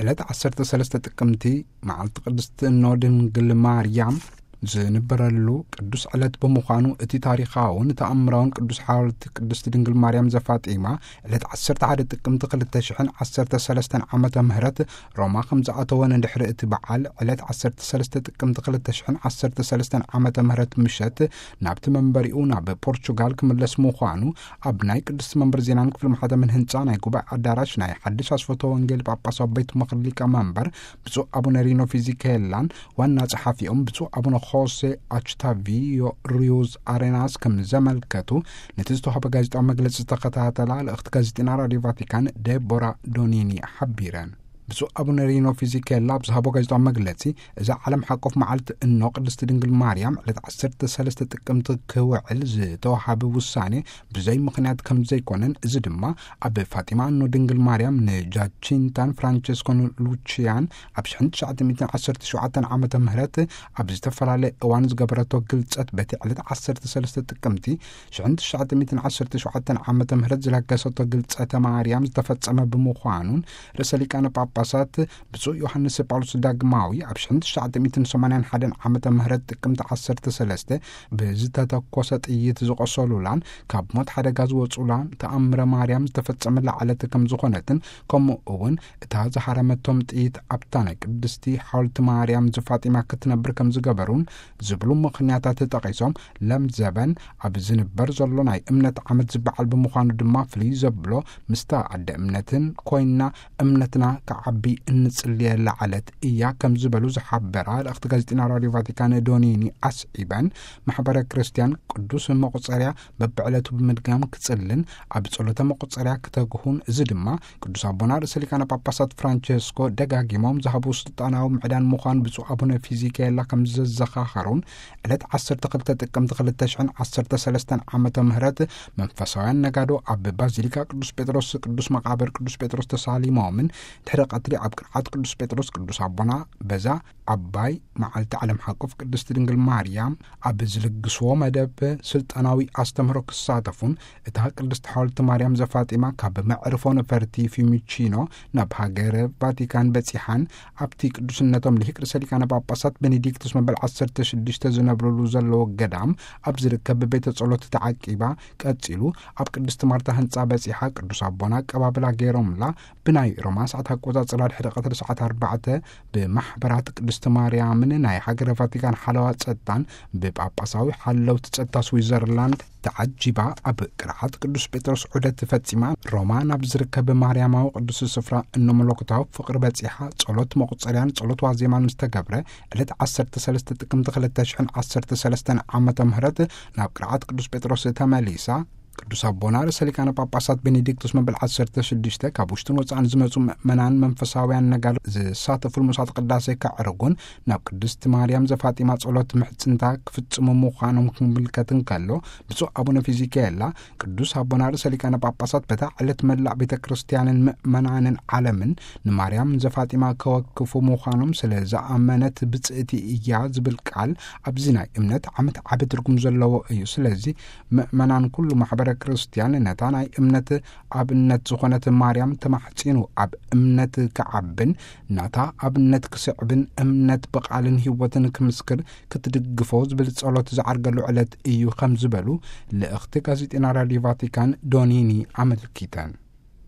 ዕለት ዓሰርተ ሰለስተ ጥቅምቲ፣ መዓልቲ ቅድስቲ እኖ ድንግል ማርያም ዝንበረሉ ቅዱስ ዕለት ብምዃኑ፣ እቲ ታሪኻውን ተኣምራውን ቅዱስ ሓወልቲ ቅድስቲ ድንግል ማርያም ዘፋጢማ ዕለት ዓሰርተ ሓደ ጥቅምቲ ክልተ ሽሕን ዓሰርተ ሰለስተን ዓመተ ምህረት ሮማ ከም ዝኣተወ፣ ንድሕሪ እቲ በዓል ዕለት ዓሰርተ ሰለስተ ጥቅምቲ ክልተ ሽሕን ዓሰርተ ሰለስተን ዓመተ ምህረት ምሸት ናብቲ መንበሪኡ ናብ ፖርቹጋል ክምለስ ምዃኑ፣ ኣብ ናይ ቅድስቲ መንበር ዜናን ክፍሊ ማሕተምን ህንጻ ናይ ጉባኤ ኣዳራሽ ናይ ሓድሽ ኣስፈቶ ወንጌል ጳጳሳዊ ቤት ምኽሪ ሊቀ መንበር ብፁዕ ኣቡነ ሪኖ ፊዚኬላን ዋና ጸሓፊኦም ብፁዕ ኣቡነ ሆሴ ኣችታቪዮ ሪዩዝ ኣሬናስ ከም ዘመልከቱ፣ ነቲ ዝተዋህበ ጋዜጣዊ መግለጺ ዝተኸታተላ ልእኽቲ ጋዜጠኛ ራድዮ ቫቲካን ዴቦራ ዶኒኒ ሓቢረን። ብፁዕ ኣቡነ ሪኖ ፊዚኬላ ኣብ ዝሃቦ ጋዜጣዊ መግለጺ፣ እዛ ዓለም ሓቆፍ መዓልቲ እኖ ቅድስቲ ድንግል ማርያም ዕለት ዓሰርተ ሰለስተ ጥቅምቲ ክውዕል ዝተዋሃበ ውሳኔ ብዘይ ምኽንያት ከም ዘይኮነን፣ እዚ ድማ ኣብ ፋጢማ እኖ ድንግል ማርያም ንጃቺንታን ፍራንቸስኮን ሉቺያን ኣብ ሽሕን ትሽዓተ ሚእትን ዓሰርተ ሸውዓተን ዓመተ ምህረት ኣብ ዝተፈላለየ እዋን ዝገበረቶ ግልጸት፣ በቲ ዕለት ዓሰርተ ሰለስተ ጥቅምቲ ሽሕን ትሽዓተ ሚእትን ዓሰርተ ሸውዓተን ዓመተ ምህረት ዝለገሰቶ ግልጸተ ማርያም ዝተፈጸመ ብምዃኑን፣ ርእሰ ሊቃነ ጳጳሳት ብፁዕ ዮሃንስ ጳውሎስ ዳግማዊ ኣብ ሽሕን ትሽዓተ ሚእትን ሰማንያን ሓደን ዓመተ ምህረት ጥቅምቲ ዓሰርተ ሰለስተ ብዝተተኮሰ ጥይት ዝቆሰሉላን ካብ ሞት ሓደጋ ዝወጹላን ተኣምረ ማርያም ዝተፈጸመላ ዕለት ከም ዝኾነትን፣ ከምኡ እውን እታ ዝሃረመቶም ጥይት ኣብታ ናይ ቅድስቲ ሓወልቲ ማርያም ዘፋጢማ ክትነብር ከም ዝገበሩን ዝብሉ ምኽንያታት ጠቒሶም፣ ለምዘበን ኣብ ዝንበር ዘሎ ናይ እምነት ዓመት ዝበዓል ብምዃኑ ድማ፣ ፍልይ ዘብሎ ምስታ ኣደ እምነትን ኮይና እምነትና ክዓቢ እንጽልየላ ዕለት እያ ከም ዝበሉ ዝሓበራ ልእኽቲ ጋዜጠኛ ራድዮ ቫቲካን ዶኒኒ ኣስዒበን፣ ማሕበረ ክርስቲያን ቅዱስ መቁጸርያ በብዕለቱ ብምድጋም ክጽልን ኣብ ጸሎተ መቁጸርያ ክተግሁን፣ እዚ ድማ ቅዱስ ኣቦና ርእሰ ሊቃነ ጳጳሳት ፍራንቸስኮ ደጋጊሞም ዝሃቡ ስልጣናዊ ምዕዳን ምዃን ብፁዕ ኣቡነ ፊዚኬላ ከም ዘዘኻኸሩን፣ ዕለት ዓሰርተ ክልተ ጥቅምቲ ክልተ ሽሕን ዓሰርተ ሰለስተን ዓመተ ምህረት መንፈሳውያን ነጋዶ ኣብ ባዚሊካ ቅዱስ ጴጥሮስ ቅዱስ መቃብር ቅዱስ ጴጥሮስ ተሳሊሞምን፣ ድሕሪ ቀትሪ ኣብ ቅርዓት ቅዱስ ጴጥሮስ ቅዱስ ኣቦና በዛ ዓባይ መዓልቲ ዓለም ሓቆፍ ቅድስቲ ድንግል ማርያም ኣብ ዝልግስዎ መደብ ስልጣናዊ ኣስተምህሮ ክሳተፉን፣ እታ ቅድስቲ ሓወልቲ ማርያም ዘፋጢማ ካብ መዕርፎ ነፈርቲ ፊዩሚቺኖ ናብ ሃገረ ቫቲካን በጺሓን፣ ኣብቲ ቅዱስነቶም ልሂቅ ርእሰ ሊቃነ ጳጳሳት ቤኔዲክቱስ መበል ዓሰርተ ሽዱሽተ ዝነብርሉ ዘለዎ ገዳም ኣብ ዝርከብ ቤተ ጸሎት ተዓቂባ፣ ቀጺሉ ኣብ ቅድስቲ ማርታ ህንጻ በጺሓ ቅዱስ ኣቦና ኣቀባብላ ገይሮምላ፣ ብናይ ሮማ ሰዓት ኣቆጻጽራ ድሕሪ ቀትሪ ሰዓት ኣርባዕተ ብማሕበራት ቅድስቲ ማርያምን ናይ ሃገረ ቫቲካን ሓለዋ ጸጥታን ብጳጳሳዊ ሓለውቲ ጸጥታ ስዊዘርላንድ ተዓጂባ ኣብ ቅርዓት ቅዱስ ጴጥሮስ ዑደት ፈጺማ፣ ሮማ ናብ ዝርከብ ማርያማዊ ቅዱስ ስፍራ እኖ መለኮታዊ ፍቕሪ በጺሓ፣ ጸሎት መቁጸርያን ጸሎት ዋዜማን ምስ ተገብረ፣ ዕለት ዓሰርተ ሰለስተ ጥቅምቲ ክልተ ሽሕን ዓሰርተ ሰለስተን ዓመተ ምህረት ናብ ቅርዓት ቅዱስ ጴጥሮስ ተመሊሳ። ቅዱስ ኣቦና ርእሰ ሊቃነ ጳጳሳት ቤኔዲክቱስ መበል ዓሰርተ ሽዱሽተ ካብ ውሽጥን ወጻእን ዝመጹ ምእመናን መንፈሳውያን ነጋዶ ዝሳተፉሉ መስዋዕተ ቅዳሴ ከዕርጉን፣ ናብ ቅድስቲ ማርያም ዘፋጢማ ጸሎት ምሕጽንታ ክፍጽሙ ምዃኖም ክምልከት እንከሎ፣ ብፁዕ ኣቡነ ፊዚኬላ፣ ቅዱስ ኣቦና ርእሰ ሊቃነ ጳጳሳት በታ ዕለት መላእ ቤተ ክርስቲያንን ምእመናንን ዓለምን ንማርያም ዘፋጢማ ከወክፉ ምዃኖም ስለ ዝኣመነት ብጽእቲ እያ ዝብል ቃል ኣብዚ ናይ እምነት ዓመት ዓቢ ትርጉም ዘለዎ እዩ። ስለዚ ምእመናን ኩሉ ማሕበረ ክርስቲያን ነታ ናይ እምነት ኣብነት ዝኾነት ማርያም ተማሕጺኑ ኣብ እምነት ክዓብን ናታ ኣብነት ክስዕብን እምነት ብቓልን ህይወትን ክምስክር ክትድግፎ ዝብል ጸሎት ዝዓርገሉ ዕለት እዩ ከም ዝበሉ ልእኽቲ ጋዜጠኛ ራድዮ ቫቲካን ዶኒኒ ኣመልኪተን።